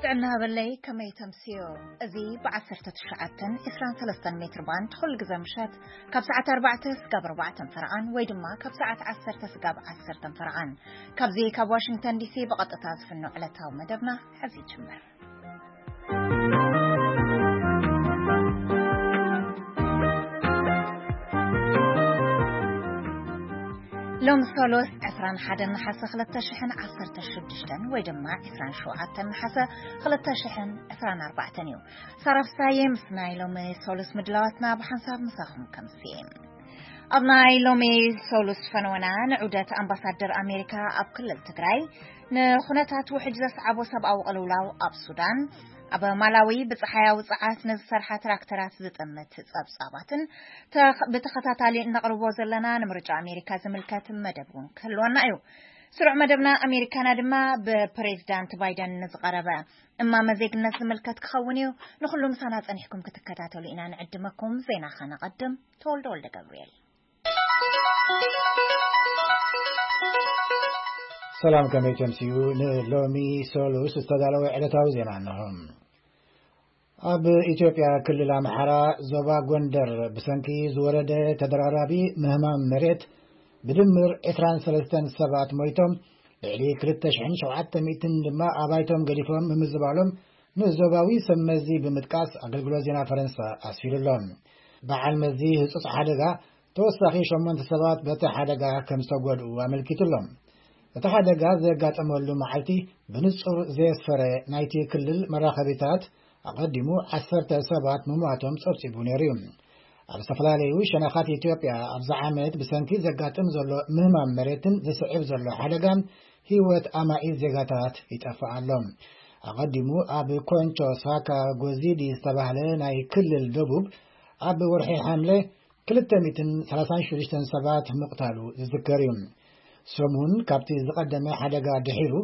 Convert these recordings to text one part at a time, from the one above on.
ጥዕና በለይ፣ ከመይ ተምስዮ? እዚ ብ19 23 ሜትር ባንድ ኩሉ ግዜ ምሸት ካብ ሰዓት ኣርባዕተ ስጋብ ኣርባዕተን ፈረቓን ወይ ድማ ካብ ሰዓት ዓሰርተ ስጋብ ዓሰርተን ፈረቓን ካብዚ ካብ ዋሽንግተን ዲሲ ብቐጥታ ዝፍኖ ዕለታዊ መደብና ሕዚ ይጅምር። ሎም ሶሎስ ዕስራን ሓደን ነሓሰ ክልተ ሽሕን ዓሰርተ ሽዱሽተን ወይ ድማ ዕስራን ሸውዓተን ነሓሰ ክልተ ሽሕን ዕስራን ኣርባዕተን እዩ። ሳራ ፍሳዬ ምስ ናይ ሎሚ ሶሎስ ምድላዋትና ብሓንሳብ ምሳኹም ከምስየ። ኣብ ናይ ሎሚ ሶሉስ ፈነወና ንዑደት ኣምባሳደር ኣሜሪካ ኣብ ክልል ትግራይ፣ ንኹነታት ውሕጅ ዘስዓቦ ሰብኣዊ ቅልውላው ኣብ ሱዳን፣ ኣብ ማላዊ ብፀሓያዊ ፀዓት ንዝሰርሓ ትራክተራት ዝጥምት ፀብፃባትን ተኽ-፣ ብተኸታታሊ እነቕርቦ ዘለና ንምርጫ ኣሜሪካ ዝምልከት መደብ እውን ክህልወና እዩ። ስሩዕ መደብና ኣሜሪካና ድማ ብፕሬዚዳንት ባይደን ንዝቐረበ እማመ ዜግነት ዝምልከት ክኸውን እዩ። ንኹሉ ምሳና ጸኒሕኩም ክትከታተሉ ኢና ንዕድመኩም። ዜና ኸነቐድም። ተወልደ ወልደ ገብርኤል። ሰላም፣ ከመይ ተምስዩ? ንሎሚ ሶሉስ ዝተዳለወ ዕለታዊ ዜና እንሆ። ኣብ ኢትዮጵያ ክልል ኣምሓራ ዞባ ጎንደር ብሰንኪ ዝወረደ ተደራራቢ ምህማም መሬት ብድምር ዕስራን ሰለስተን ሰባት ሞይቶም፣ ልዕሊ ክልተ ሽሕን ሸውዓተ ሚእትን ድማ ኣባይቶም ገዲፎም ምምዝባሎም ንዞባዊ ሰብ መዚ ብምጥቃስ ኣገልግሎት ዜና ፈረንሳ ኣስፊሩ ኣሎ። በዓል መዚ ህጹጽ ሓደጋ ተወሳኺ ሸሞንተ ሰባት በቲ ሓደጋ ከም ዝተጎድኡ ኣመልኪቱ ኣሎ። እቲ ሓደጋ ዘጋጠመሉ መዓልቲ ብንጹር ዘየስፈረ ናይቲ ክልል መራኸቢታት፣ ኣቐዲሙ ዓሰርተ ሰባት ምሟቶም ጸብጺቡ ነይሩ እዩ። ኣብ ዝተፈላለዩ ሸነኻት ኢትዮጵያ ኣብዚ ዓመት ብሰንኪ ዘጋጥም ዘሎ ምህማም መሬትን ዝስዕብ ዘሎ ሓደጋን ህይወት ኣማኢት ዜጋታት ይጠፍእ ኣሎ። ኣቐዲሙ ኣብ ኮንቾ ሳካ ጎዚዲ ዝተባህለ ናይ ክልል ደቡብ ኣብ ወርሒ ሓምለ ክልተ ሚእትን ሰላሳን ሽዱሽተን ሰባት ምቕታሉ ዝዝከር እዩ። ሰሙን ካብቲ ዝቐደመ ሓደጋ ድሒሩ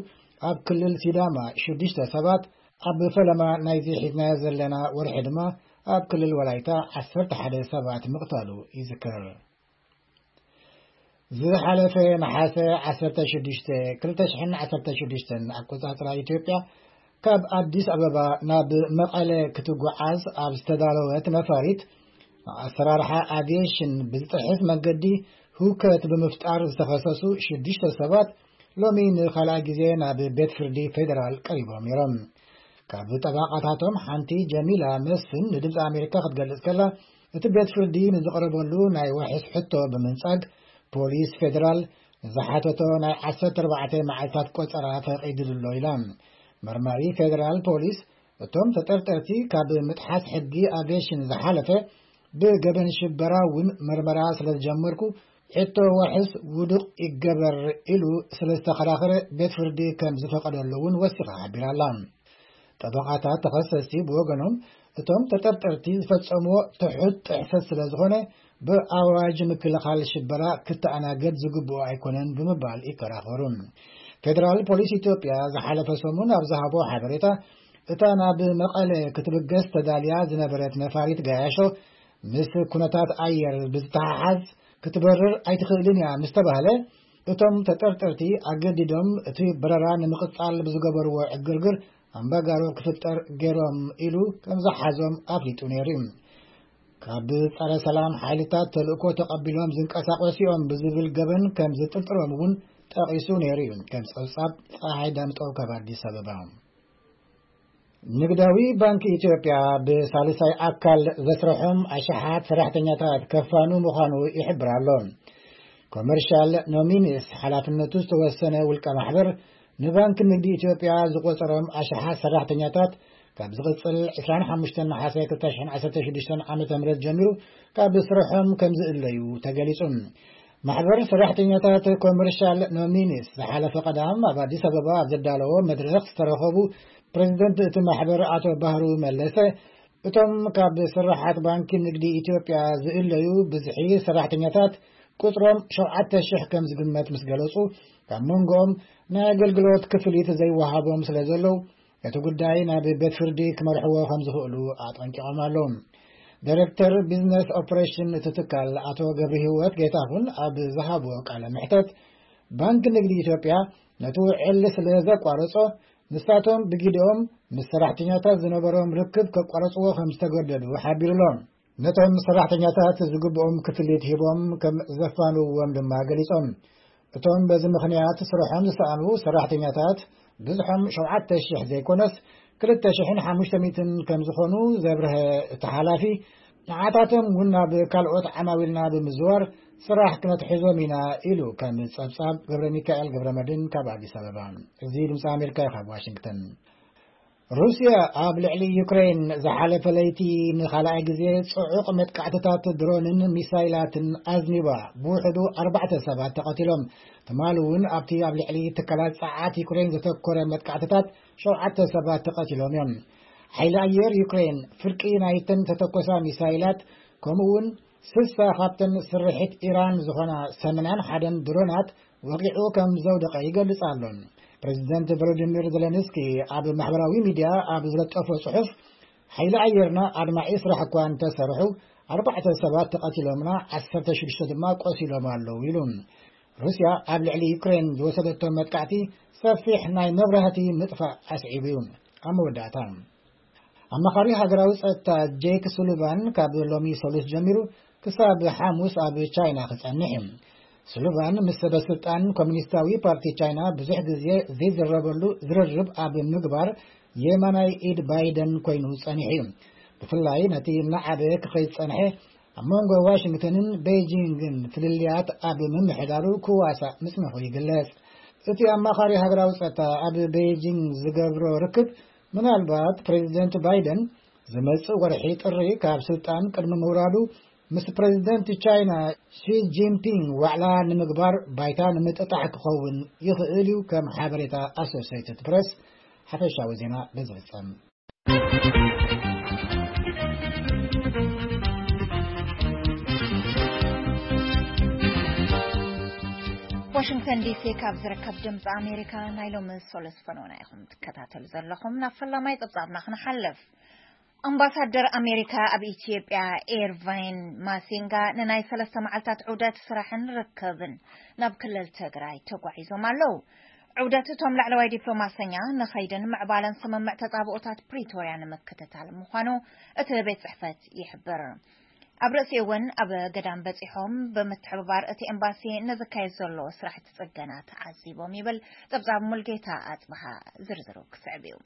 ኣብ ክልል ሲዳማ ሽዱሽተ ሰባት፣ ኣብ ፈለማ ናይዚ ሒዝናዮ ዘለና ወርሒ ድማ ኣብ ክልል ወላይታ ዓሰርተ ሓደ ሰባት ምቕታሉ ይዝከር። ዝሓለፈ ነሓሰ ዓሰርተ ሽዱሽተ፣ ክልተ ሽሕን ዓሰርተ ሽዱሽተን ኣቆጻጽራ ኢትዮጵያ፣ ካብ ኣዲስ ኣበባ ናብ መቐለ ክትጓዓዝ ኣብ ዝተዳለወት ነፋሪት፣ ኣሰራርሓ ኣቪዬሽን ብዝጥሕስ መንገዲ ህውከት ብምፍጣር ዝተኸሰሱ ሽዱሽተ ሰባት ሎሚ ንኻልኣይ ግዜ ናብ ቤት ፍርዲ ፌደራል ቀሪቦም ነይሮም። ካብ ጠበቓታቶም ሓንቲ ጀሚላ መስፍን ንድምፂ ኣሜሪካ ክትገልጽ ከላ፣ እቲ ቤት ፍርዲ ንዝቐረበሉ ናይ ዋሕስ ሕቶ ብምንጻግ፣ ፖሊስ ፌደራል ንዝሓተቶ ናይ ዓሰርተ ኣርባዕተ መዓልታት ቆጸራ ፈቒድሉ ኣሎ ኢላ። መርማሪ ፌደራል ፖሊስ፣ እቶም ተጠርጠርቲ ካብ ምጥሓስ ሕጊ ኣቪዬሽን ዝሓለፈ ብገበን ሽበራ እውን መርመራ ስለ ዝጀመርኩ፣ ሕቶ ዋሕስ ውዱቕ ይገበር ኢሉ ስለ ዝተኸራኸረ፣ ቤት ፍርዲ ከም ዝፈቐደሉ እውን ወሲኻ ሓቢራ ኣላ። ጠበቓታት ተኸሰስቲ ብወገኖም፣ እቶም ተጠርጠርቲ ዝፈጸምዎ ትሑት ጥሕሰት ስለ ዝኾነ፣ ብኣዋጅ ምክልኻል ሽበራ ክተኣናገድ ዝግብኦ ኣይኮነን ብምባል ይከራኸሩ። ፌደራል ፖሊስ ኢትዮጵያ ዝሓለፈ ሰሙን ኣብ ዝሃቦ ሓበሬታ፣ እታ ናብ መቐለ ክትብገስ ተዳልያ ዝነበረት ነፋሪት ገያሾ፣ ምስ ኩነታት ኣየር ብዝተሓሓዝ ክትበርር ኣይትኽእልን እያ ምስ ተባህለ፣ እቶም ተጠርጠርቲ ኣገዲዶም እቲ በረራ ንምቕጻል ብዝገበርዎ ዕግርግር ኣምባጋሮ ክፍጠር ገይሮም ኢሉ ከም ዝሓዞም ኣፍሊጡ ነይሩ እዩ። ካብ ጸረ ሰላም ሓይልታት ተልእኮ ተቐቢሎም ዝንቀሳቐሱ እዮም ብዝብል ገበን ከም ዝጥርጥሮም እውን ጠቒሱ ነይሩ እዩ። ከም ጸብጻብ ጸሓይ ዳምጠው ካብ ኣዲስ ኣበባ። ንግዳዊ ባንክ ኢትዮጵያ ብሳልሳይ ኣካል ዘስርሖም ኣሽሓት ሰራሕተኛታት ከፋኑ ምዃኑ ይሕብር ኣሎ። ኮመርሻል ኖሚኒስ ሓላፍነቱ ዝተወሰነ ውልቀ ማሕበር፣ ንባንክ ንግዲ ኢትዮጵያ ዝቆጸሮም ኣሽሓት ሰራሕተኛታት ካብ ዝቕጽል ዕስራን ሓሙሽተን ነሓሰ ክልተ ሽሕን ዓሰርተ ሽዱሽተን ዓመተ ምህረት ጀሚሩ ካብ ስርሖም ከም ዝእለዩ ተገሊጹ። ማሕበር ሰራሕተኛታት ኮመርሻል ኖሚኒስ ዝሓለፈ ቀዳም ኣብ ኣዲስ ኣበባ ኣብ ዘዳለዎ መድረኽ ዝተረኸቡ ፕሬዚደንት እቲ ማሕበር ኣቶ ባህሩ መለሰ፣ እቶም ካብ ስራሓት ባንኪ ንግዲ ኢትዮጵያ ዝእለዩ ብዝሒ ሰራሕተኛታት ቁጽሮም ሸውዓተ ሽሕ ከም ዝግመት ምስ ገለጹ፣ ካብ መንጎኦም ናይ ኣገልግሎት ክፍሊት ዘይወሃቦም ስለ ዘለዉ፣ እቲ ጉዳይ ናብ ቤት ፍርዲ ክመርሕዎ ከም ዝኽእሉ ኣጠንቂቖም ኣለዉ። ዳይሬክተር ቢዝነስ ኦፕሬሽን እቲ ትካል ኣቶ ገብረ ህይወት ጌታሁን ኣብ ዝሃብዎ ቃለ መሕተት፣ ባንክ ንግዲ ኢትዮጵያ ነቲ ውዕል ስለ ዘቋረጾ፣ ንሳቶም ብጊደኦም ምስ ሰራሕተኛታት ዝነበሮም ርክብ ከቋረጽዎ ከም ዝተገደዱ ሓቢሩ ኣሎ። ነቶም ሰራሕተኛታት ዝግብኦም ክፍሊት ሂቦም ከም ዘፋንውዎም ድማ ገሊጾም። እቶም በዚ ምኽንያት ስርሖም ዝሰኣኑ ሰራሕተኛታት ብዝሖም ሸውዓተ ሽሕ ዘይኮነስ ክልተ ሽሕን ሓሙሽተ ሚእትን ከም ዝኾኑ ዘብርሀ እቲ ሓላፊ፣ ንዓታቶም እውን ናብ ካልኦት ዓማዊልና ብምዝዋር ስራሕ ክነትሕዞም ኢና ኢሉ፣ ከም ጸብጻብ ገብረ ሚካኤል ገብረ መድን ካብ ኣዲስ ኣበባ። እዚ ድምፂ ኣሜሪካ እዩ ካብ ዋሽንግተን። ሩስያ ኣብ ልዕሊ ዩክሬን ዝሓለፈ ለይቲ ንኻልኣይ ግዜ ጽዑቕ መጥቃዕትታት ድሮንን ሚሳይላትን ኣዝኒባ፣ ብውሕዱ ኣርባዕተ ሰባት ተቐቲሎም። ትማሊ እውን ኣብቲ ኣብ ልዕሊ ትካላት ጸዓት ዩክሬን ዘተኮረ መጥቃዕትታት ሸውዓተ ሰባት ተቐቲሎም እዮም። ሓይሊ ኣየር ዩክሬን ፍርቂ ናይተን ተተኮሳ ሚሳይላት፣ ከምኡ እውን ስሳ ካብተን ስርሒት ኢራን ዝኾና ሰማንያን ሓደን ድሮናት ወቂዑ ከም ዘውደቐ ይገልጽ ኣሎ። ፕሬዚደንት ቮሎዲሚር ዘለንስኪ ኣብ ማሕበራዊ ሚድያ ኣብ ዝለጠፎ ጽሑፍ፣ ሓይሊ ኣየርና ኣድማዒ ስራሕ እኳ እንተሰርሑ፣ ኣርባዕተ ሰባት ተቐቲሎምና፣ ዓሰርተ ሽዱሽተ ድማ ቆሲሎም ኣለዉ ኢሉ። ሩስያ ኣብ ልዕሊ ዩክሬን ዝወሰደቶ መጥቃዕቲ ሰፊሕ ናይ መብራህቲ ምጥፋእ ኣስዒቡ እዩ። ኣብ መወዳእታ፣ ኣማኻሪ ሃገራዊ ጸጥታ ጄክ ሱሊቫን ካብ ሎሚ ሰሉስ ጀሚሩ ክሳብ ሓሙስ ኣብ ቻይና ክጸንሕ እዩ። ሱሊቫን ምስ ሰበ ስልጣን ኮሚኒስታዊ ፓርቲ ቻይና ብዙሕ ግዜ ዘይዝረበሉ ዝርርብ ኣብ ምግባር የማናይ ኢድ ባይደን ኮይኑ ጸኒሑ እዩ። ብፍላይ ነቲ እናዓበየ ክኸይድ ዝጸንሐ ኣብ መንጎ ዋሽንግተንን ቤጂንግን ፍልልያት ኣብ ምምሕዳሩ ክዋሳእ ምጽንሑ ይግለጽ። እቲ ኣማኻሪ ሃገራዊ ጸጥታ ኣብ ቤጂንግ ዝገብሮ ርክብ፣ ምናልባት ፕሬዚደንት ባይደን ዝመጽእ ወርሒ ጥሪ ካብ ስልጣን ቅድሚ ምውራዱ ምስ ፕሬዚደንት ቻይና ሺ ጂንፒንግ ዋዕላ ንምግባር ባይታ ንምጥጣሕ ክኸውን ይኽእል እዩ፣ ከም ሓበሬታ ኣሶሴይትድ ፕሬስ። ሓፈሻዊ ዜና በዚ ፍጸም። ዋሽንግተን ዲሲ ካብ ዝርከብ ድምፂ ኣሜሪካ ናይ ሎሚ ሶለስ ፈኖና ኢኹም ትከታተሉ ዘለኹም። ናብ ፈላማይ ጸብጻብና ክንሓልፍ። ኣምባሳደር ኣሜሪካ ኣብ ኢትዮጵያ ኤርቫይን ማሲንጋ ንናይ ሰለስተ መዓልታት ዑደት ስራሕን ርክብን ናብ ክልል ትግራይ ተጓዒዞም ኣለዉ። ዑደት እቶም ላዕለዋይ ዲፕሎማሰኛ ንኸይድን ምዕባለን ስምምዕ ተጻብኦታት ፕሪቶርያ ንምክትታል ምዃኑ እቲ ቤት ጽሕፈት ይሕብር። ኣብ ርእሲ እውን ኣብ ገዳም በጺሖም ብምትሕብባር እቲ ኤምባሲ ንዝካየድ ዘሎ ስራሕቲ ጽገና ተዓዚቦም ይብል ጸብጻብ ሙልጌታ ኣጽብሃ። ዝርዝሩ ክስዕብ እዩ።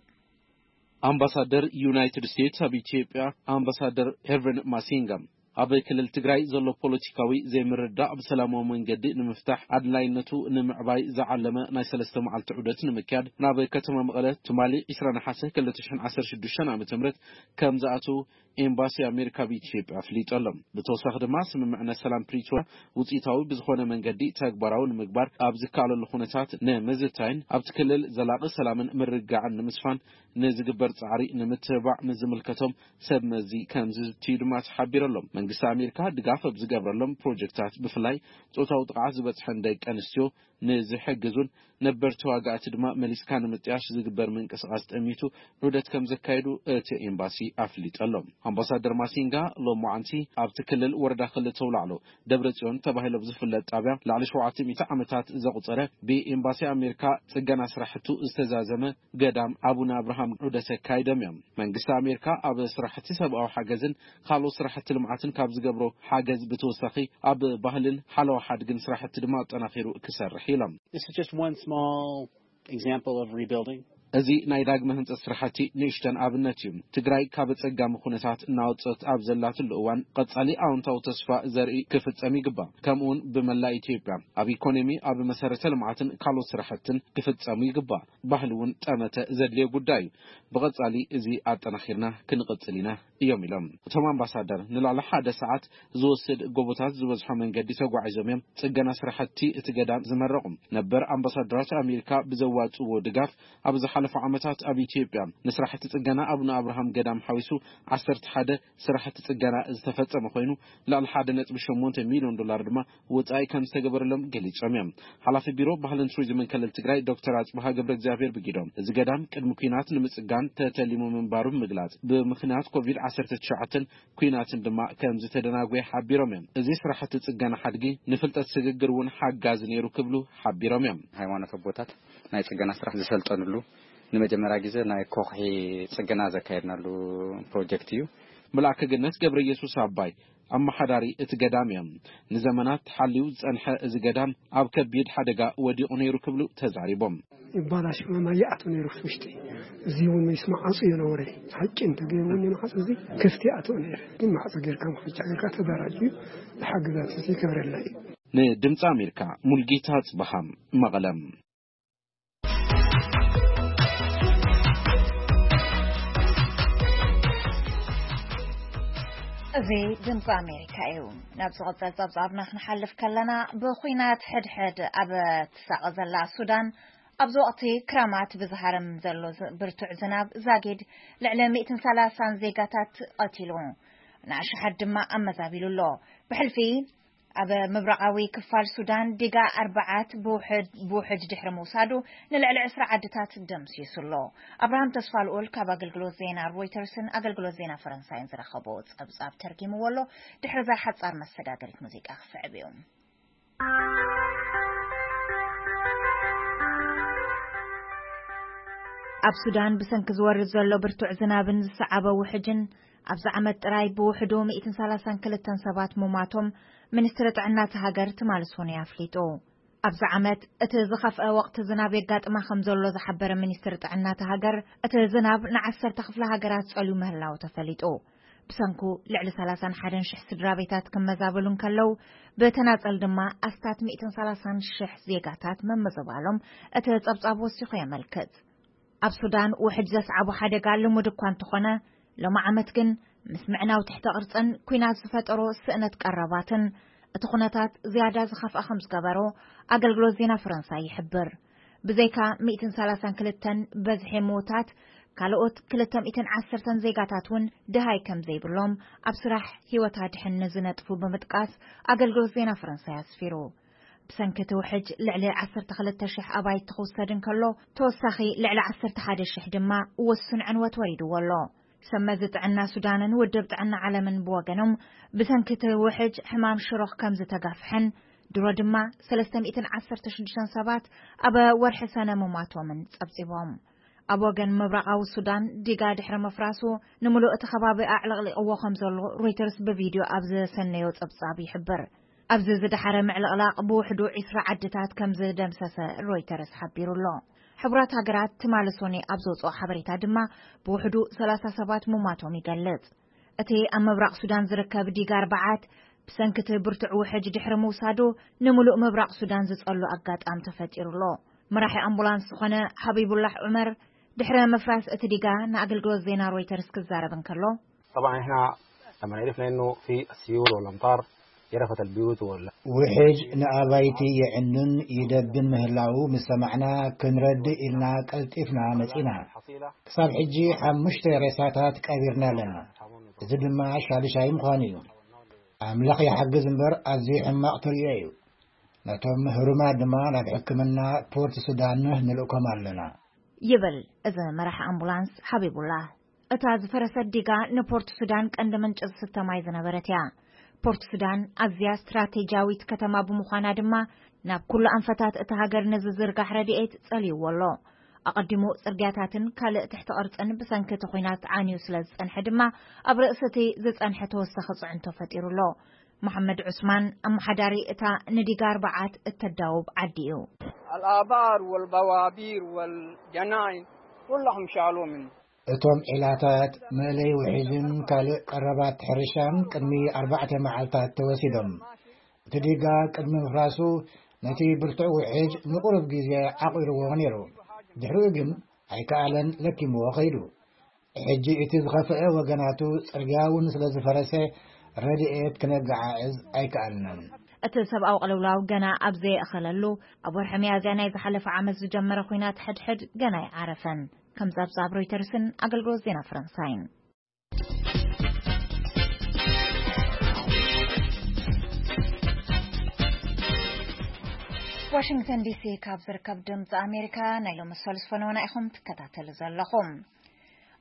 ኣምባሳደር ዩናይትድ ስቴትስ ኣብ ኢትዮጵያ ኣምባሳደር ሄርቨን ማሲንጋ ኣብ ክልል ትግራይ ዘሎ ፖለቲካዊ ዘይምርዳእ ብሰላማዊ መንገዲ ንምፍታሕ ኣድላይነቱ ንምዕባይ ዝዓለመ ናይ ሰለስተ መዓልቲ ዑደት ንምክያድ ናብ ከተማ መቐለ ትማሊ ዕስራ ነሓሰ ክልተ ሽሕን ዓሰርተ ሽዱሽተን ዓመተ ምህረት ከም ዝኣተዉ ኤምባሲ ኣሜሪካ ኣብ ኢትዮጵያ ኣፍሊጡ ኣሎ። ብተወሳኺ ድማ ስምምዕነት ሰላም ፕሪቶርያ ውፅኢታዊ ብዝኾነ መንገዲ ተግባራዊ ንምግባር ኣብ ዝከኣለሉ ኩነታት ንምዝታይን ኣብቲ ክልል ዘላቒ ሰላምን ምርግጋዕን ንምስፋን ንዝግበር ጻዕሪ ንምትብባዕ ምስ ዝምልከቶም ሰብ መዚ ከም ዝዝትዩ ድማ ተሓቢሩ ኣሎ። መንግስቲ ኣሜሪካ ድጋፍ ኣብ ዝገብረሎም ፕሮጀክታት ብፍላይ ጾታዊ ጥቕዓት ዝበጽሐን ደቂ ኣንስትዮ ንዝሕግዙን ነበር ተዋጋእቲ ድማ መሊስካ ንምጥያሽ ዝግበር ምንቅስቓስ ጠሚቱ ዑደት ከም ዘካየዱ እቲ ኤምባሲ ኣፍሊጡ ኣሎ። ኣምባሳደር ማሲንጋ ሎማዓንቲ ኣብቲ ክልል ወረዳ ክልተ ኣውላዕሎ ደብረ ጽዮን ተባሂሉ ኣብ ዝፍለጥ ጣብያ ልዕሊ ሸውዓተ ሚእቲ ዓመታት ዘቑጸረ ብኤምባሲ ኣሜሪካ ጽገና ስራሕቱ ዝተዛዘመ ገዳም ኣቡነ ኣብርሃም ዑደት ኣካይዶም እዮም። መንግስቲ ኣሜሪካ ኣብ ስራሕቲ ሰብኣዊ ሓገዝን ካልኦት ስራሕቲ ልምዓትን ካብ ዝገብሮ ሓገዝ ብተወሳኺ ኣብ ባህልን ሓለዋ ሓድግን ስራሕቲ ድማ ኣጠናኺሩ ክሰርሕ ኢሎም። This is just one small example of rebuilding. እዚ ናይ ዳግመ ህንጸት ስራሕቲ ንእሽተን ኣብነት እዩ። ትግራይ ካብ ኣጸጋሚ ኩነታት እናወጸት ኣብ ዘላትሉ እዋን ቀጻሊ ኣወንታዊ ተስፋ ዘርኢ ክፍጸም ይግባእ። ከምኡውን ብመላእ ኢትዮጵያ ኣብ ኢኮኖሚ፣ ኣብ መሰረተ ልምዓትን ካልኦት ስራሕትን ክፍጸሙ ይግባእ። ባህሊ እውን ጠመተ ዘድልዮ ጉዳይ እዩ። ብቐጻሊ እዚ ኣጠናኺርና ክንቕጽል ኢና እዮም ኢሎም። እቶም ኣምባሳደር ንልዕሊ ሓደ ሰዓት ዝወስድ ጎቦታት ዝበዝሖ መንገዲ ተጓዒዞም እዮም ጽገና ስራሕቲ እቲ ገዳም ዝመረቑ። ነበር ኣምባሳደራት ኣሜሪካ ብዘዋጽእዎ ድጋፍ ኣብ ዝሓለፉ ዓመታት ኣብ ኢትዮጵያ ንስራሕቲ ጽገና ኣቡነ ኣብርሃም ገዳም ሓዊሱ ዓሰርተ ሓደ ስራሕቲ ጽገና ዝተፈጸመ ኮይኑ፣ ልዕሊ ሓደ ነጥቢ ሸሞንተ ሚልዮን ዶላር ድማ ወጻኢ ከም ዝተገበረሎም ገሊጾም እዮም። ሓላፊ ቢሮ ባህልን ቱሪዝምን ክልል ትግራይ ዶክተር ኣጽብሃ ገብረ እግዚኣብሔር ብጊዶም፣ እዚ ገዳም ቅድሚ ኲናት ንምጽጋን ተተሊሙ ምንባሩ ብምግላጽ፣ ብምኽንያት ኮቪድ ዓሰርተ ትሽዓተ ኲናትን ድማ ከም ዝተደናጎየ ሓቢሮም እዮም። እዚ ስራሕቲ ጽገና ሓድጊ ንፍልጠት ስግግር እውን ሓጋዚ ነይሩ ክብሉ ሓቢሮም እዮም። ሃይማኖት ኣቦታት ናይ ጽገና ስራሕ ዝሰልጠንሉ፣ ንመጀመርያ ግዜ ናይ ኮኽሒ ጽገና ዘካየድናሉ ፕሮጀክት እዩ። መልኣከ ገነት ገብረ ኢየሱስ ኣባይ ኣመሓዳሪ እቲ ገዳም እዮም። ንዘመናት ሓልዩ ዝጸንሐ እዚ ገዳም ኣብ ከቢድ ሓደጋ ወዲቑ ነይሩ ክብሉ ተዛሪቦም። ይባላሽ ማማ ይኣቱ ነይሩ ውሽጢ። እዚ እውን ምስ መዓጹ እዩ ነውረ። ሓቂ እንተገይሩ እውን መዓጹ እዚ ክፍቲ ኣቶ ነይሩ። ግን መዓጹ ጌርካ መሓጫ ጌርካ ተደራጅ እዩ። ዝሓግዛት እዚ ይገብረላ እዩ። ንድምፂ ኣሜሪካ ሙልጌታ ጽበሃም መቐለም። እዚ ድምፂ ኣሜሪካ እዩ። ናብ ዝቐጸል ጸብጻብና ክንሓልፍ ከለና፣ ብኹናት ሕድሕድ ኣብ ትሳቐ ዘላ ሱዳን፣ ኣብዚ ወቕቲ ክረማት ብዝሃርም ዘሎ ዝ-፣ ብርቱዕ ዝናብ ዛጊድ ልዕሊ ሚእትን ሰላሳን ዜጋታት ቀቲሉ፣ ንኣሽሓት ድማ ኣመዛቢሉ ኣሎ። ብሕልፊ ኣብ ምብራቓዊ ክፋል ሱዳን ዲጋ ኣርባዓት ብውሕድ፣ ብውሕጅ ድሕሪ ምውሳዱ ንልዕሊ ዕስራ ዓድታት ደምሲሱ ኣሎ። ኣብርሃም ተስፋልኡል ካብ ኣገልግሎት ዜና ሮይተርስን ኣገልግሎት ዜና ፈረንሳይን ዝረኸቦ ጸብጻብ ተርጊምዎ ኣሎ። ድሕሪ እዛ ሓጻር መሰጋገሪት ሙዚቃ ክስዕብ እዩ። ኣብ ሱዳን ብሰንኪ ዝወርድ ዘሎ ብርቱዕ ዝናብን ዝሰዓበ ውሕጅን፣ ኣብዚ ዓመት ጥራይ ብውሕዱ ሚእትን ሰላሳን ክልተን ሰባት ምሟቶም ሚኒስትሪ ጥዕና እታ ሃገር ትማሊ ሰኑይ ኣፍሊጡ። ኣብዚ ዓመት እቲ ዝኸፍአ ወቕቲ ዝናብ የጋጥማ ከም ዘሎ ዝሓበረ ሚኒስትሪ ጥዕና እታ ሃገር፣ እቲ ዝናብ ንዓሰርተ ክፍለ ሃገራት ጸልዩ ምህላው ተፈሊጡ። ብሰንኩ ልዕሊ ሰላሳን ሓደን ሽሕ ስድራ ቤታት ክመዛበሉ እንከለዉ፣ ብተናጸል ድማ ኣስታት ሚእትን ሰላሳን ሽሕ ዜጋታት ምምዝባሎም እቲ ጸብጻብ ወሲኹ የመልክት። ኣብ ሱዳን ውሕጅ ዘስዓቦ ሓደጋ ልሙድ እኳ እንተኾነ፣ ሎሚ ዓመት ግን ምስ ምዕናው ትሕተ ቅርጽን ኲናት ዝፈጠሮ ስእነት ቀረባትን እቲ ኩነታት ዝያዳ ዝኸፍኣ ከም ዝገበሮ ኣገልግሎት ዜና ፈረንሳይ ይሕብር። ብዘይካ ሚእትን ሰላሳን ክልተን በዝሒ ምዉታት፣ ካልኦት ክልተ ሚእትን ዓሰርተን ዜጋታት እውን ድሃይ ከም ዘይብሎም ኣብ ስራሕ ህይወት ኣድሕን ንዝነጥፉ ብምጥቃስ ኣገልግሎት ዜና ፈረንሳይ ኣስፊሩ። ብሰንኪ እቲ ውሕጅ ልዕሊ ዓሰርተ ክልተ ሽሕ ኣባይቲ ክውሰድ እንከሎ፣ ተወሳኺ ልዕሊ ዓሰርተ ሓደ ሽሕ ድማ ውሱን ዕንወት ወሪድዎ ኣሎ። ሰብ መዚ ጥዕና ሱዳንን ውድብ ጥዕና ዓለምን ብወገኖም፣ ብሰንኪ እቲ ውሕጅ ሕማም ሽሮኽ ከም ዝተጋፍሐን ድሮ ድማ ሰለስተ ሚእትን ዓሰርተ ሽዱሽተን ሰባት ኣብ ወርሒ ሰነ ምሟቶምን ጸብጺቦም። ኣብ ወገን ምብራቓዊ ሱዳን ዲጋ ድሕሪ ምፍራሱ፣ ንምሉእ እቲ ከባቢ ኣዕለቕሊቕዎ ከም ዘሎ ሮይተርስ ብቪድዮ ኣብ ዘሰነዮ ጸብጻብ ይሕብር። ኣብዚ ዝደሓረ ምዕልቕላቕ ብውሕዱ ዕስራ ዓድታት ከም ዝደምሰሰ ሮይተርስ ሓቢሩ ኣሎ። ሕቡራት ሃገራት ትማሊ ሶኒ ኣብ ዘውጽኦ ሓበሬታ ድማ ብውሕዱ ሰላሳ ሰባት ምሟቶም ይገልጽ። እቲ ኣብ ምብራቕ ሱዳን ዝርከብ ዲጋ ኣርባዓት ብሰንኪ እቲ ብርቱዕ ውሕጅ ድሕሪ ምውሳዱ ንምሉእ ምብራቕ ሱዳን ዝጸሉ ኣጋጣሚ ተፈጢሩ ኣሎ። መራሒ ኣምቡላንስ ዝኾነ ሓቢቡላህ ዑመር ድሕሪ ምፍራስ እቲ ዲጋ ንኣገልግሎት ዜና ሮይተርስ ክዛረብ እንከሎ፣ طبعًا إحنا لما عرفنا إنه في السيول والأمطار جرفت البيوت وال ውሕጅ ንኣባይቲ የዕኑን ይደብን ምህላዉ ምስ ሰማዕና፣ ክንረድእ ኢልና ቀልጢፍና መጺና። ክሳብ ሕጂ ሓሙሽተ ሬሳታት ቀቢርና ኣለና። እዚ ድማ ሻድሻይ ምዃኑ እዩ። ኣምላኽ ይሓግዝ እምበር፣ ኣዝዩ ሕማቕ ትርእዮ እዩ። ነቶም ህሩማት ድማ ናብ ሕክምና ፖርት ሱዳን ንልእኮም ኣለና። ይብል እዚ መራሒ ኣምቡላንስ ሓቢቡላህ። እታ ዝፈረሰት ዲጋ ንፖርት ሱዳን ቀንዲ ምንጪ ዝስተ ማይ ዝነበረት እያ። ፖርት ሱዳን ኣዝያ ስትራቴጂያዊት ከተማ ብምዃና ድማ፣ ናብ ኩሉ ኣንፈታት እታ ሃገር ንዝዝርጋሕ ረድኤት ጸልይዎ ኣሎ። ኣቐዲሙ ጽርግያታትን ካልእ ትሕቲ ቅርጽን ብሰንኪ እቲ ኲናት ዓንዩ ስለ ዝጸንሐ ድማ፣ ኣብ ርእሲ እቲ ዝጸንሐ ተወሳኺ ጽዕንቶ ፈጢሩ ኣሎ። መሓመድ ዑስማን፣ ኣመሓዳሪ እታ ንዲጋ ኣርባዓት እተዳውብ ዓዲ እዩ። الآبار والبوابير والجناين كلهم شالوا منه. እቶም ዒላታት፣ መእለይ ውሒጅን ካልእ ቀረባት ሕርሻን ቅድሚ ኣርባዕተ መዓልታት ተወሲዶም። እቲ ዲጋ ቅድሚ ምፍራሱ ነቲ ብርቱዕ ውሒጅ ንቁሩብ ግዜ ዓቒርዎ ነይሩ። ድሕሪኡ ግን ኣይከኣለን፣ ለኪምዎ ከይዱ። ሕጂ እቲ ዝኸፍአ ወገናቱ ጽርግያ እውን ስለ ዝፈረሰ ረድኤት ክነገዓዕዝ ኣይከኣልናን። እቲ ሰብኣዊ ቅልውላው ገና ኣብ ዘየእኸለሉ፣ ኣብ ወርሒ ሚያዝያ ናይ ዝሓለፈ ዓመት ዝጀመረ ኲናት ሕድሕድ ገና ኣይዓረፈን። ከም ጸብጻብ ሮይተርስን ኣገልግሎት ዜና ፈረንሳይን። ዋሽንግተን ዲሲ ካብ ዝርከብ ድምፂ ኣሜሪካ ናይ ሎሚ ሰሉስ ፈነወና ኢኹም ትከታተሉ ዘለኹም።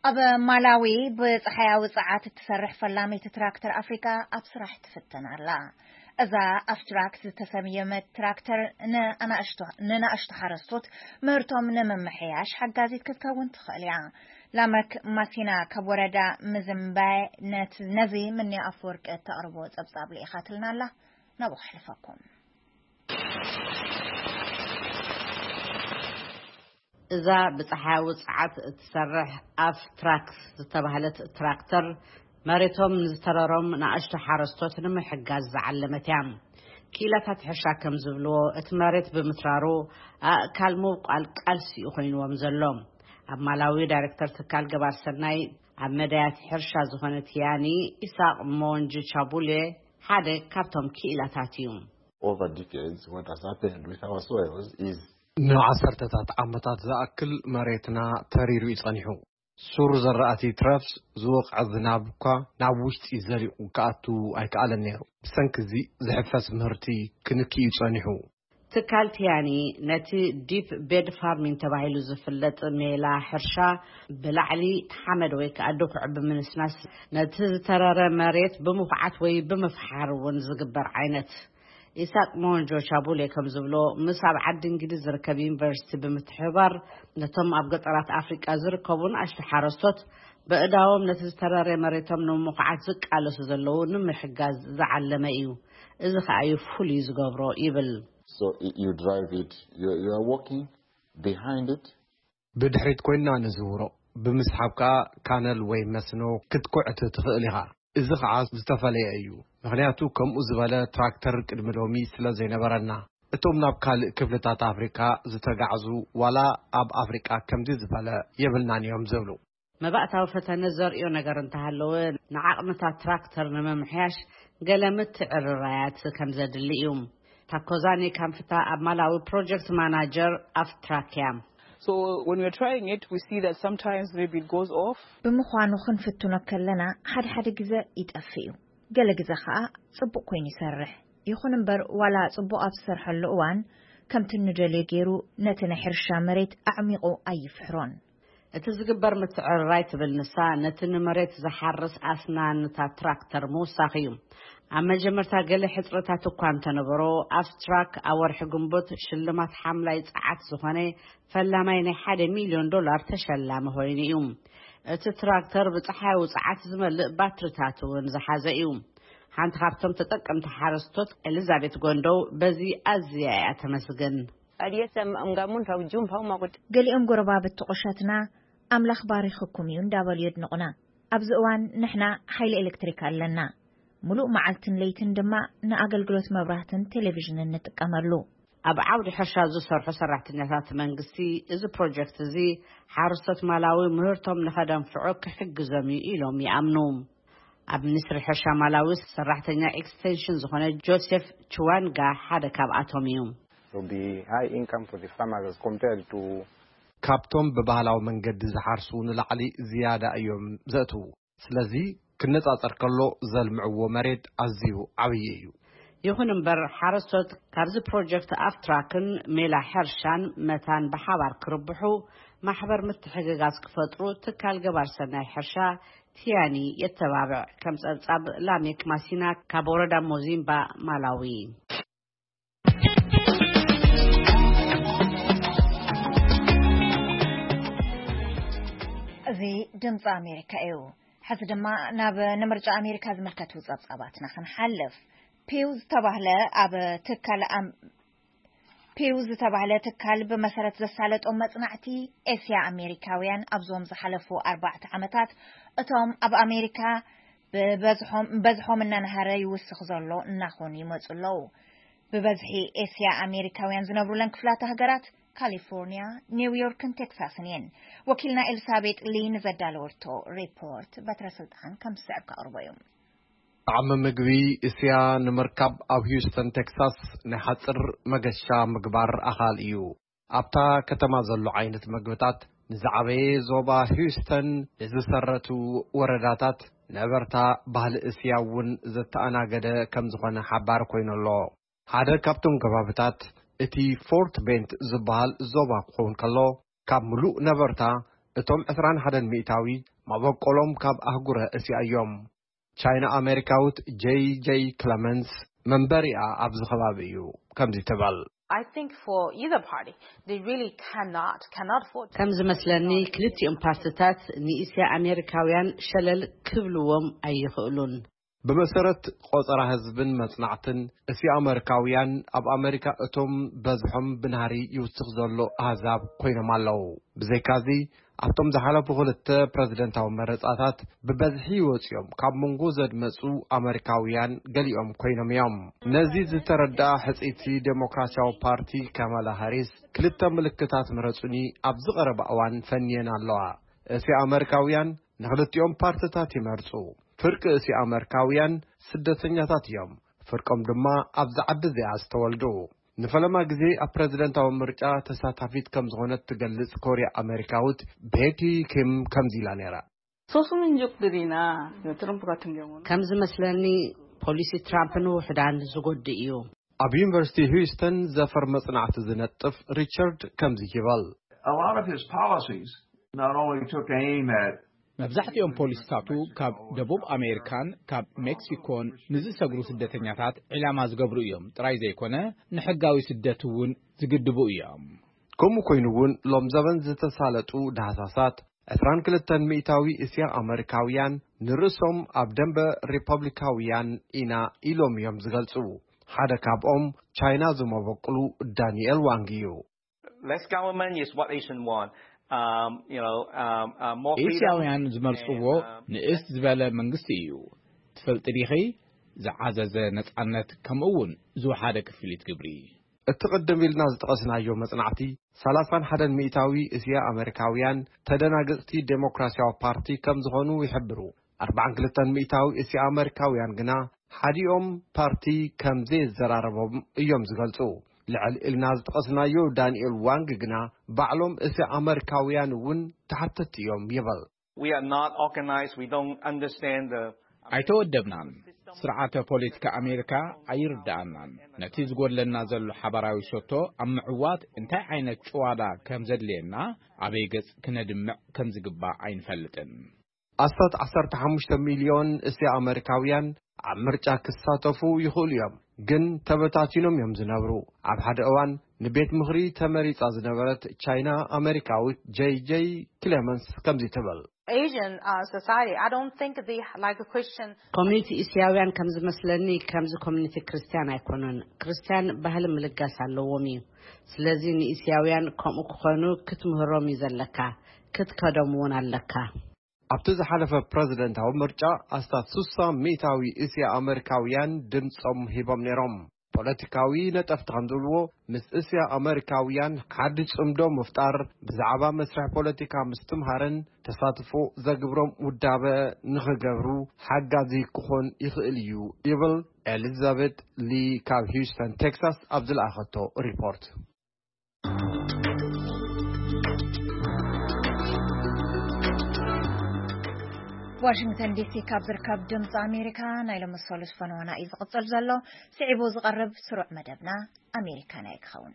ኣብ ማላዊ ብፀሓያዊ ፀዓት እትሰርሕ ፈላሚት ትራክተር ኣፍሪካ ኣብ ስራሕ ትፍተን ኣላ። እዛ ኣፍትራክ ዝተሰየመት ትራክተር ንኣናእሽቱ ንናእሽቱ ሓረስቶት ምህርቶም ንምምሕያሽ ሓጋዚት ክትከውን ትኽእል እያ። ላመክ ማሲና ካብ ወረዳ ምዝምባይ ነት ነዚ ምንያ ኣፈወርቂ እተቕርቦ ጸብጻብ ልኢኻትልና ኣላ። ናብኡ ክሕልፈኩም። እዛ ብጸሓያዊ ጸዓት እትሰርሕ ኣፍ ትራክስ ዝተባህለት ትራክተር መሬቶም ንዝተረሮም ንኣሽቱ ሓረስቶት ንምሕጋዝ ዝዓለመት እያ። ክኢላታት ሕርሻ ከም ዝብልዎ፣ እቲ መሬት ብምትራሩ ኣእካል ምብቋል ቃልሲ እዩ ኮይንዎም ዘሎ። ኣብ ማላዊ ዳይሬክተር ትካል ገባር ሰናይ ኣብ መዳያት ሕርሻ ዝኾነ ትያኒ ኢሳቅ ሞንጅ ቻቡሌ ሓደ ካብቶም ክኢላታት እዩ። Over decades, what has happened with our soils is ንዓሰርተታት ዓመታት ዝኣክል መሬትና ተሪሩ እዩ ጸኒሑ። ሱር ዘራእቲ ትረፍስ ዝወቕዐ ዝናብ እኳ ናብ ውሽጢ ዘሊቑ ክኣቱ ኣይከኣለን ነይሩ። ብሰንኪ እዚ ዝሕፈስ ምህርቲ ክንኪ እዩ ጸኒሑ። ትካል ቲያኒ ነቲ ዲፕ ቤድ ፋርሚንግ ተባሂሉ ዝፍለጥ ሜላ ሕርሻ ብላዕሊ ሓመድ ወይ ከዓ ድኩዕ ብምንስናስ ነቲ ዝተረረ መሬት ብምኹዓት ወይ ብምፍሓር እውን ዝግበር ዓይነት። ኢሳቅ ሞንጆ ቻቡሌ ከም ዝብሎ፣ ምስ ኣብ ዓዲ እንግሊዝ ዝርከብ ዩኒቨርሲቲ ብምትሕብባር ነቶም ኣብ ገጠራት ኣፍሪቃ ዝርከቡ ንኣሽቱ ሓረስቶት በእዳዎም ነቲ ዝተረረ መሬቶም ንምኹዓት ዝቃለሱ ዘለዉ ንምሕጋዝ ዝዓለመ እዩ። እዚ ከኣ እዩ ፍሉይ ዝገብሮ ይብል። So y- you drive it, you, you are walking behind it. ብድሕሪት ኮይንና ንዝውሮ፣ ብምስሓብ ከኣ ካነል ወይ መስኖ ክትኩዕት ትኽእል ኢኻ። እዚ ኸዓ ዝተፈለየ እዩ፣ ምኽንያቱ ከምኡ ዝበለ ትራክተር ቅድሚ ሎሚ ስለ ዘይነበረና። እቶም ናብ ካልእ ክፍልታት ኣፍሪካ ዝተጋዕዙ ዋላ ኣብ ኣፍሪቃ ከምዚ ዝበለ የብልናን እዮም ዝብሉ። መባእታዊ ፈተነ ዘርእዮ ነገር እንተሃለወ፣ ንዓቕምታት ትራክተር ንምምሕያሽ ገለ ምትዕርራያት ከም ዘድሊ እዩ። ታኮዛኒ ካምፍታ ኣብ ማላዊ ፕሮጀክት ማናጀር ኣፍትራክ እያ። So when we're trying it, we see that sometimes maybe it goes off. ብምዃኑ ክንፍትኖ ከለና ሓደ ሓደ ግዘ ይጠፍእ እዩ፣ ገለ ግዘ ከዓ ፅቡቅ ኮይኑ ይሰርሕ። ይኹን እምበር ዋላ ፅቡቅ ኣብ ዝሰርሐሉ እዋን ከምቲ ንደልዮ ገይሩ ነቲ ናይ ሕርሻ መሬት ኣዕሚቑ ኣይፍሕሮን። እቲ ዝግበር ምትዕርራይ ትብል ንሳ፣ ነቲ ንመሬት ዝሓርስ ኣስናንታት ትራክተር ምውሳኽ እዩ። ኣብ መጀመርታ ገለ ሕጽረታት እኳ እንተነበሮ፣ ኣፍትራክ ኣብ ወርሒ ግንቦት ሽልማት ሓምላይ ጸዓት ዝኾነ ፈላማይ ናይ ሓደ ሚልዮን ዶላር ተሸላሚ ኮይኑ እዩ። እቲ ትራክተር ብጸሓያዊ ጸዓት ዝመልእ ባትሪታት እውን ዝሓዘ እዩ። ሓንቲ ካብቶም ተጠቀምቲ ሓረስቶት ኤሊዛቤት ጎንዶው በዚ ኣዝያ እያ ተመስግን። Aliesa mgamun raujum pau magut. ገሊኦም ጎረባብቲ ቁሸትና ኣምላኽ ባሪኽኩም እዩ እንዳበሉ የድንቑና። ኣብዚ እዋን ንሕና ሓይሊ ኤሌክትሪክ ኣለና። ሙሉእ መዓልትን ለይትን ድማ ንኣገልግሎት መብራህትን ቴሌቪዥንን ንጥቀመሉ። ኣብ ዓውዲ ሕርሻ ዝሰርሑ ሰራሕተኛታት መንግስቲ፣ እዚ ፕሮጀክት እዚ ሓረስቶት ማላዊ ምህርቶም ንኸደንፍዑ ክሕግዞም እዩ ኢሎም ይኣምኑ። ኣብ ሚኒስትሪ ሕርሻ ማላዊ ሰራሕተኛ ኤክስቴንሽን ዝኾነ ጆሴፍ ችዋንጋ ሓደ ካብኣቶም እዩ። There'll be high income for the farmers as compared to ካብቶም ብባህላዊ መንገዲ ዝሓርሱ ንላዕሊ ዝያዳ እዮም ዘእትዉ። ስለዚ ክነጻጸር ከሎ ዘልምዕዎ መሬት ኣዝዩ ዓብዪ እዩ። ይኹን እምበር ሓረስቶት ካብዚ ፕሮጀክት ኣፍትራክን ሜላ ሕርሻን መታን ብሓባር ክርብሑ ማሕበር ምትሕግጋዝ ክፈጥሩ ትካል ገባር ሰናይ ሕርሻ ቲያኒ የተባብዕ። ከም ጸብጻብ ላሜክ ማሲና ካብ ወረዳ ሞዚምባ ማላዊ። እዚ ድምፂ ኣሜሪካ እዩ። ሕዚ ድማ ናብ ንምርጫ ኣሜሪካ ዝምልከቱ ጸብጻባትና ክንሓልፍ። ፒው ዝተባህለ ኣብ ትካል ኣም- ፒው ዝተባህለ ትካል ብመሰረት ዘሳለጦም መጽናዕቲ፣ ኤስያ ኣሜሪካውያን ኣብዞም ዝሓለፉ ኣርባዕተ ዓመታት እቶም ኣብ ኣሜሪካ ብበዝሖም በዝሖም እናነሃረ ይውስኽ ዘሎ እናኾኑ ይመጹ ኣለዉ። ብበዝሒ ኤስያ ኣሜሪካውያን ዝነብሩለን ክፍላተ ሃገራት ካሊፎርኒያ፣ ኒውዮርክን ቴክሳስን እየን። ወኪልና ኤልሳቤጥ ሊ ንዘዳለወቶ ሪፖርት በትረ ስልጣን ከም ዝስዕብ ከቕርቦ እዩ። ጣዕሚ ምግቢ እስያ ንምርካብ ኣብ ሂውስተን ቴክሳስ ናይ ሓጽር መገሻ ምግባር ኣኻል እዩ። ኣብታ ከተማ ዘሎ ዓይነት መግብታት ንዝዓበየ ዞባ ሂውስተን ንዝሰረቱ ወረዳታት ነበርታ ባህሊ እስያ እውን ዘተኣናገደ ከም ዝኾነ ሓባር ኮይኑ ኣሎ። ሓደ ካብቶም ከባብታት እቲ ፎርት ቤንት ዝበሃል ዞባ ክኸውን ከሎ፣ ካብ ምሉእ ነበርታ እቶም ዕስራን ሓደን ሚእታዊ መበቆሎም ካብ ኣህጉረ እስያ እዮም። ቻይና ኣሜሪካዊት ጄይ ጄይ ክለመንስ መንበሪኣ ኣብዚ ከባቢ እዩ ከምዚ ትበል። I think for either party, they really cannot cannot afford. ከም ዝመስለኒ ክልቲኦም ፓርትታት ንእስያ ኣሜሪካውያን ሸለል ክብልዎም ኣይኽእሉን። ብመሰረት ቆጸራ ህዝብን መጽናዕትን፣ እስያ ኣመሪካውያን ኣብ ኣመሪካ እቶም በዝሖም ብናህሪ ይውስኽ ዘሎ ኣህዛብ ኮይኖም ኣለዉ። ብዘይካዚ ኣብቶም ዝሓለፉ ክልተ ፕረዚደንታዊ መረጻታት ብበዝሒ ይወጽዮም ካብ መንጎ ዘድመጹ ኣመሪካውያን ገሊኦም ኮይኖም እዮም። ነዚ ዝተረድኣ ሕጽይቲ ዴሞክራሲያዊ ፓርቲ ካማላ ሃሪስ፣ ክልተ ምልክታት ምረጹኒ ኣብዚ ቀረባ እዋን ፈንየን ኣለዋ። እስያ ኣመሪካውያን ንክልቲኦም ፓርትታት ይመርጹ። ፍርቂ እስያ ኣመሪካውያን ስደተኛታት እዮም። ፍርቆም ድማ ኣብዚ ዓዲ እዚኣ ዝተወልዱ። ንፈለማ ግዜ ኣብ ፕረዚደንታዊ ምርጫ ተሳታፊት ከም ዝኾነት ትገልጽ ኮርያ ኣመሪካዊት ቤቲ ኪም ከምዚ ኢላ ነይራ። Sosuminjuk dirina, Trump ka tunge wono. ከም ዝመስለኒ ፖሊሲ ትራምፕ ንውሕዳን ዝጎድእ እዩ። ኣብ ዩኒቨርሲቲ ሂውስተን ዘፈር መጽናዕቲ ዝነጥፍ ሪቻርድ ከምዚ ይበል። A lot of his policies not only took aim at መብዛሕትኦም ፖሊሲታቱ ካብ ደቡብ ኣሜሪካን ካብ ሜክሲኮን ንዝሰግሩ ስደተኛታት ዒላማ ዝገብሩ እዮም ጥራይ ዘይኮነ፣ ንሕጋዊ ስደት እውን ዝግድቡ እዮም። ከምኡ ኮይኑ እውን ሎም ዘበን ዝተሳለጡ ዳህሳሳት ዕስራን ክልተን ሚእታዊ እስያ ኣመሪካውያን ንርእሶም ኣብ ደንበ ሪፐብሊካውያን ኢና ኢሎም እዮም ዝገልጹ። ሓደ ካብኦም ቻይና ዝመበቅሉ ዳንኤል ዋንግ እዩ። Less government is what Asian want. Um, you know, um, uh, more freedom. ኤስያውያን ዝመርጽዎ ንእስ ዝበለ መንግስቲ እዩ። ትፈልጢ ዲኺ? ዝዓዘዘ ነጻነት፣ ከምኡ እውን ዝወሓደ ክፍሊት ግብሪ። እቲ ቅድም ኢልና ዝጠቐስናዮ መጽናዕቲ፣ ሰላሳን ሓደን ሚእታዊ እስያ ኣመሪካውያን ተደናገጽቲ ዴሞክራሲያዊ ፓርቲ ከም ዝኾኑ ይሕብሩ። ኣርባዓን ክልተን ሚእታዊ እስያ ኣመሪካውያን ግና ሓዲኦም ፓርቲ ከም ዘየዘራረቦም እዮም ዝገልጹ። ልዕል ኢልና ዝጠቐስናዮ ዳንኤል ዋንግ ግና ባዕሎም እስያ ኣመሪካውያን እውን ተሓተቲ እዮም ይበል። We are not organized. We don't understand the. ኣይተወደብናን። ስርዓተ ፖለቲካ ኣሜሪካ ኣይርድኣናን። ነቲ ዝጎድለና ዘሎ ሓባራዊ ሸቶ ኣብ ምዕዋት እንታይ ዓይነት ጭዋዳ ከም ዘድልየና፣ ኣበይ ገጽ ክነድምዕ ከም ዝግባእ ኣይንፈልጥን። ኣስታት ዓሰርተ ሓሙሽተ ሚልዮን እስያ ኣመሪካውያን ኣብ ምርጫ ክሳተፉ ይኽእሉ እዮም፣ ግን ተበታቲኖም እዮም ዝነብሩ። ኣብ ሓደ እዋን ንቤት ምኽሪ ተመሪጻ ዝነበረት ቻይና ኣመሪካዊት ጄይ ጄይ ክሌመንስ ከምዚ ትብል። Asian uh, society, I don't think they like a Christian. ኮሚኒቲ እስያውያን ከም ዝመስለኒ ከምዚ ኮሚኒቲ ክርስቲያን ኣይኮኑን። ክርስቲያን ባህሊ ምልጋስ ኣለዎም እዩ። ስለዚ ንእስያውያን ከምኡ ክኾኑ ክትምህሮም እዩ ዘለካ፣ ክትከዶም እውን ኣለካ። ኣብቲ ዝሓለፈ ፕረዚደንታዊ ምርጫ ኣስታት ስሳ ሚእታዊ እስያ ኣመሪካውያን ድምጾም ሂቦም ነይሮም። ፖለቲካዊ ነጠፍቲ ከም ዝብልዎ፣ ምስ እስያ ኣመሪካውያን ሓዲ ጽምዶ ምፍጣር፣ ብዛዕባ መስርሕ ፖለቲካ ምስትምሃርን ተሳትፎ ዘግብሮም ውዳበ ንኽገብሩ ሓጋዚ ክኾን ይኽእል እዩ ይብል ኤሊዛቤት ሊ ካብ ሂውስተን ቴክሳስ ኣብ ዝለኣኸቶ ሪፖርት። ዋሽንግተን ዲሲ ካብ ዝርከብ ድምፂ ኣሜሪካ ናይ ሎሚ ሰሉስ ፈነወና እዩ ዝቕፅል ዘሎ። ስዒቡ ዝቐርብ ስሩዕ መደብና ኣሜሪካና እዩ ክኸውን።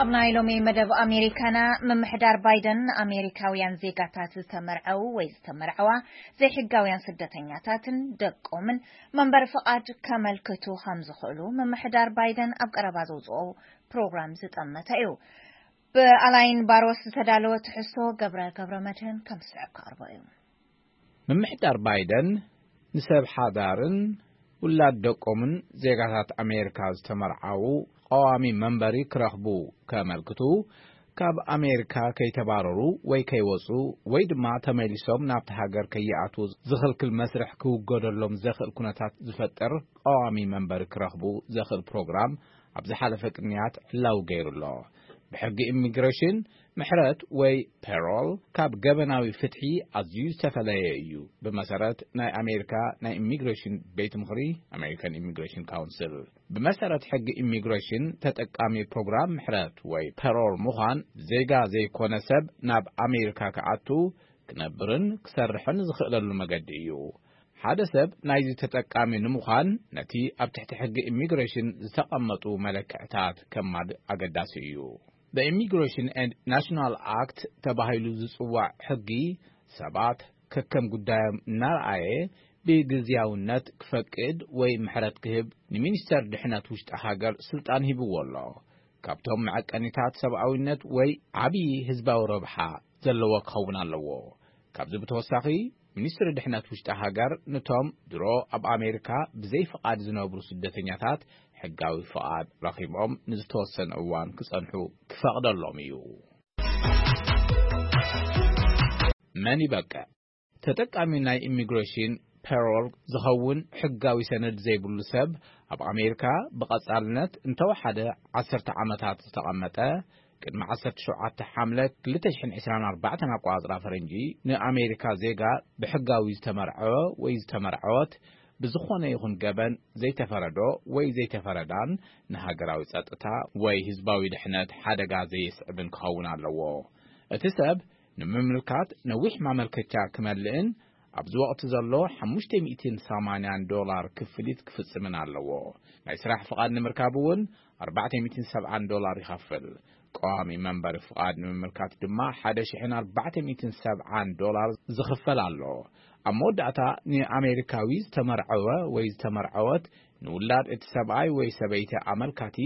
ኣብ ናይ ሎሚ መደብ ኣሜሪካና፣ ምምሕዳር ባይደን ንኣሜሪካውያን ዜጋታት ዝተመርዐው ወይ ዝተመርዐዋ ዘይሕጋውያን ስደተኛታትን ደቆምን መንበሪ ፍቓድ ከመልክቱ ከም ዝኽእሉ ምምሕዳር ባይደን ኣብ ቀረባ ዘውፅኦ ፕሮግራም ዝጠመተ እዩ። ብኣላይን ባሮስ ዝተዳለወ ትሕዝቶ ገብረ ገብረ መድህን ከም ዝስዕብ ክቐርቦ እዩ። ምምሕዳር ባይደን ንሰብ ሓዳርን ውላድ ደቆምን ዜጋታት ኣሜሪካ ዝተመርዓዉ ቀዋሚ መንበሪ ክረኽቡ ከመልክቱ፣ ካብ ኣሜሪካ ከይተባረሩ ወይ ከይወጹ ወይ ድማ ተመሊሶም ናብቲ ሃገር ከይኣትዉ ዝኽልክል መስርሕ ክውገደሎም ዘኽእል ኩነታት ዝፈጥር ቀዋሚ መንበሪ ክረኽቡ ዘኽእል ፕሮግራም ኣብ ዝሓለፈ ቅንያት ዕላዊ ገይሩ ኣሎ። ብሕጊ ኢሚግሬሽን፣ ምሕረት ወይ ፐሮል ካብ ገበናዊ ፍትሒ ኣዝዩ ዝተፈለየ እዩ። ብመሰረት ናይ ኣሜሪካ ናይ ኢሚግሬሽን ቤት ምኽሪ፣ ኣሜሪካን ኢሚግሬሽን ካውንስል፣ ብመሰረት ሕጊ ኢሚግሬሽን፣ ተጠቃሚ ፕሮግራም ምሕረት ወይ ፐሮል ምዃን፣ ዜጋ ዘይኮነ ሰብ ናብ ኣሜሪካ ክኣቱ፣ ክነብርን ክሰርሕን ዝኽእለሉ መገዲ እዩ። ሓደ ሰብ ናይዚ ተጠቃሚ ንምዃን፣ ነቲ ኣብ ትሕቲ ሕጊ ኢሚግሬሽን ዝተቐመጡ መለክዕታት ከማልእ ኣገዳሲ እዩ። The Immigration and National Act ተባሂሉ ዝጽዋዕ ሕጊ ሰባት ከከም ጉዳዮም እናረኣየ ብግዝያውነት ክፈቅድ ወይ ምሕረት ክህብ ንሚኒስተር ድሕነት ውሽጢ ሃገር ስልጣን ሂብዎ ኣሎ። ካብቶም መዐቀኒታት ሰብኣዊነት ወይ ዓብዪ ህዝባዊ ረብሓ ዘለዎ ክኸውን ኣለዎ። ካብዚ ብተወሳኺ፣ ሚኒስትሪ ድሕነት ውሽጢ ሃገር ነቶም ድሮ ኣብ ኣሜሪካ ብዘይ ፍቓድ ዝነብሩ ስደተኛታት ሕጋዊ ፍቓድ ረኺቦም ንዝተወሰነ እዋን ክጸንሑ ክፈቕደሎም እዩ። መን ይበቅዕ? ተጠቃሚ ናይ ኢሚግሬሽን ፔሮል ዝኸውን ሕጋዊ ሰነድ ዘይብሉ ሰብ፣ ኣብ ኣሜሪካ ብቐጻልነት እንተወሓደ ዓሰርተ ዓመታት ዝተቐመጠ፣ ቅድሚ ዓሰርተ ሸውዓተ ሓምለ ክልተ ሽሕን ዕስራን ኣርባዕተን ኣቆጻጽራ ፈረንጂ ንኣሜሪካ ዜጋ ብሕጋዊ ዝተመርዐወ ወይ ዝተመርዐወት፣ ብዝኾነ ይኹን ገበን ዘይተፈረዶ ወይ ዘይተፈረዳን ንሃገራዊ ጸጥታ ወይ ህዝባዊ ድሕነት ሓደጋ ዘየስዕብን ክኸውን ኣለዎ። እቲ ሰብ ንምምልካት ነዊሕ ማመልከቻ ክመልእን ኣብዚ ወቕቲ ዘሎ ሓሙሽተ ሚእትን ሰማንያን ዶላር ክፍሊት ክፍጽምን ኣለዎ። ናይ ስራሕ ፍቓድ ንምርካብ እውን ኣርባዕተ ሚእትን ሰብዓን ዶላር ይኸፍል። ቀዋሚ መንበሪ ፍቓድ ንምምልካት ድማ ሓደ ሽሕን ኣርባዕተ ሚእትን ሰብዓን ዶላር ዝኽፈል ኣሎ። ኣብ መወዳእታ ንኣሜሪካዊ ዝተመርዐወ ወይ ዝተመርዐወት ንውላድ እቲ ሰብኣይ ወይ ሰበይቲ ኣመልካቲ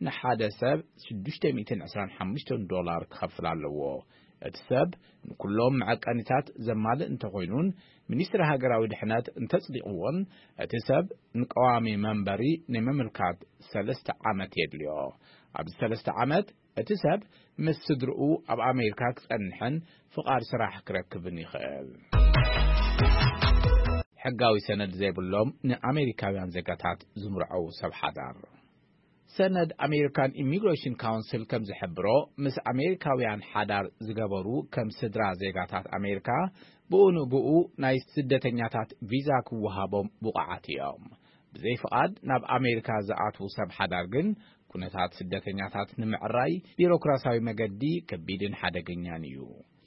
ንሓደ ሰብ ሽዱሽተ ሚእትን ዕስራን ሓሙሽተን ዶላር ክኸፍል ኣለዎ። እቲ ሰብ ንኩሎም መዐቀኒታት ዘማልእ እንተኾይኑን ሚኒስትሪ ሃገራዊ ድሕነት እንተጽዲቕዎን፣ እቲ ሰብ ንቀዋሚ መንበሪ ናይ ምምልካት ሰለስተ ዓመት የድልዮ። ኣብዚ ሰለስተ ዓመት እቲ ሰብ ምስ ስድርኡ ኣብ ኣሜሪካ ክጸንሕን ፍቓድ ስራሕ ክረክብን ይኽእል። ሕጋዊ ሰነድ ዘይብሎም ንኣሜሪካውያን ዜጋታት ዝምርዐዉ ሰብ ሓዳር። ሰነድ ኣሜሪካን ኢሚግሬሽን ካውንስል ከም ዝሕብሮ፣ ምስ ኣሜሪካውያን ሓዳር ዝገበሩ ከም ስድራ ዜጋታት ኣሜሪካ ብኡ ንብኡ ናይ ስደተኛታት ቪዛ ክወሃቦም ብቑዓት እዮም። ብዘይ ፍቓድ ናብ ኣሜሪካ ዝኣትዉ ሰብ ሓዳር ግን ኩነታት ስደተኛታት ንምዕራይ ቢሮክራሲያዊ መገዲ ከቢድን ሓደገኛን እዩ።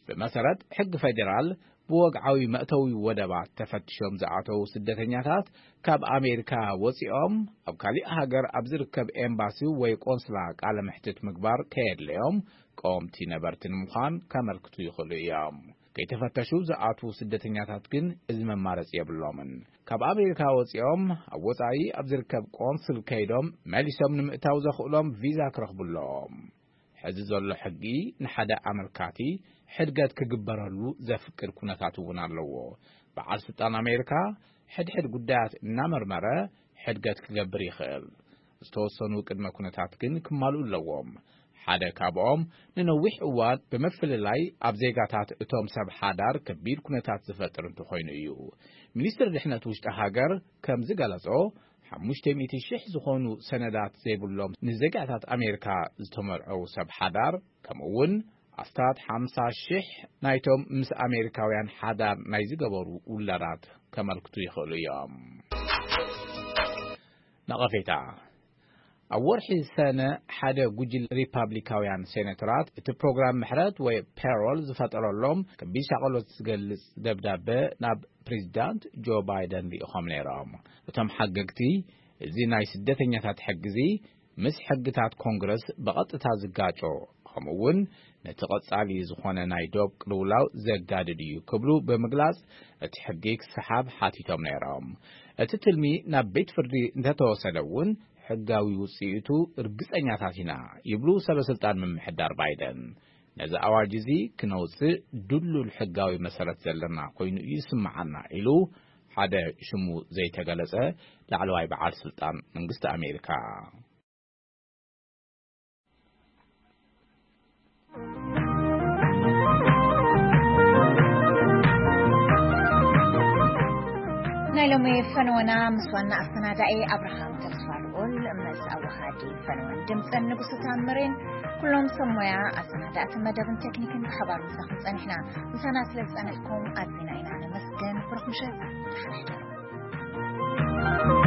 ብመሰረት ሕጊ ፌዴራል፣ ብወግዓዊ መእተዊ ወደባት ተፈትሾም ዝኣተዉ ስደተኛታት ካብ ኣሜሪካ ወጺኦም ኣብ ካሊእ ሃገር ኣብ ዝርከብ ኤምባሲ ወይ ቆንስላ ቃለ መሕትት ምግባር ከየድለዮም ቀወምቲ ነበርቲ ንምዃን ከመልክቱ ይኽእሉ እዮም። ከይተፈተሹ ዝኣትዉ ስደተኛታት ግን እዚ መማረጺ የብሎምን። ካብ ኣሜሪካ ወጺኦም ኣብ ወጻኢ ኣብ ዝርከብ ቆንስል ከይዶም መሊሶም ንምእታው ዘኽእሎም ቪዛ ክረኽቡ ኣለዎም። ሕዚ ዘሎ ሕጊ ንሓደ ኣመልካቲ ሕድገት ክግበረሉ ዘፍቅድ ኩነታት እውን ኣለዎ። በዓል ስልጣን ኣሜሪካ ሕድሕድ ጉዳያት እናመርመረ ሕድገት ክገብር ይኽእል። ዝተወሰኑ ቅድመ ኩነታት ግን ክማልኡ ኣለዎም። ሓደ ካብኦም ንነዊሕ እዋን ብምፍልላይ ኣብ ዜጋታት እቶም ሰብ ሓዳር ከቢድ ኩነታት ዝፈጥር እንተኾይኑ እዩ። ሚኒስትሪ ድሕነት ውሽጢ ሃገር ከም ዝገለጾ፣ ሓሙሽተ ሚእቲ ሽሕ ዝኾኑ ሰነዳት ዘይብሎም ንዜጋታት ኣሜሪካ ዝተመርዐው ሰብ ሓዳር፣ ከምኡ እውን ኣስታት ሓምሳ ሽሕ ናይቶም ምስ ኣሜሪካውያን ሓዳር ናይ ዝገበሩ ውላዳት ከመልክቱ ይኽእሉ እዮም። ነቐፌታ። ኣብ ወርሒ ሰነ ሓደ ጉጅለ ሪፓብሊካውያን ሴኔተራት እቲ ፕሮግራም ምሕረት ወይ ፔሮል ዝፈጠረሎም ከቢድ ሻቐሎት ዝገልጽ ደብዳበ ናብ ፕሬዚዳንት ጆ ባይደን ልኢኾም ነይሮም። እቶም ሓገግቲ፣ እዚ ናይ ስደተኛታት ሕጊ እዚ ምስ ሕግታት ኮንግረስ ብቐጥታ ዝጋጮ፣ ከምኡ እውን ነቲ ቀጻሊ ዝኾነ ናይ ዶብ ቅልውላው ዘጋድድ እዩ ክብሉ ብምግላጽ፣ እቲ ሕጊ ክሰሓብ ሓቲቶም ነይሮም። እቲ ትልሚ ናብ ቤት ፍርዲ እንተተወሰደ እውን፣ ሕጋዊ ውጽኢቱ ርግጸኛታት ኢና ይብሉ ሰበ ስልጣን ምምሕዳር ባይደን። ነዚ ኣዋጅ እዚ ክነውጽእ ድሉል ሕጋዊ መሰረት ዘለና ኮይኑ ይስምዓና ኢሉ ሓደ ሽሙ ዘይተገለጸ ላዕለዋይ በዓል ስልጣን መንግስቲ ኣሜሪካ። ናይ ሎሚ ፈነወና ምስ ዋና ኣሰናዳኢ ኣብርሃም ተስፋ ልዑል፣ ምስ ኣወሃዲ ፈነወን ድምፅን ንጉሱ ታምሬን፣ ኩሎም ሰብ ሞያ ኣሰናዳእቲ መደብን ቴክኒክን ብሓባር ምሳኹም ጸኒሕና። ምሳና ስለ ዝጸኒሕኩም ኣዝና ኢና ነመስግን። ብሩኽ ምሸት፣ ደሓን ሕደሩ።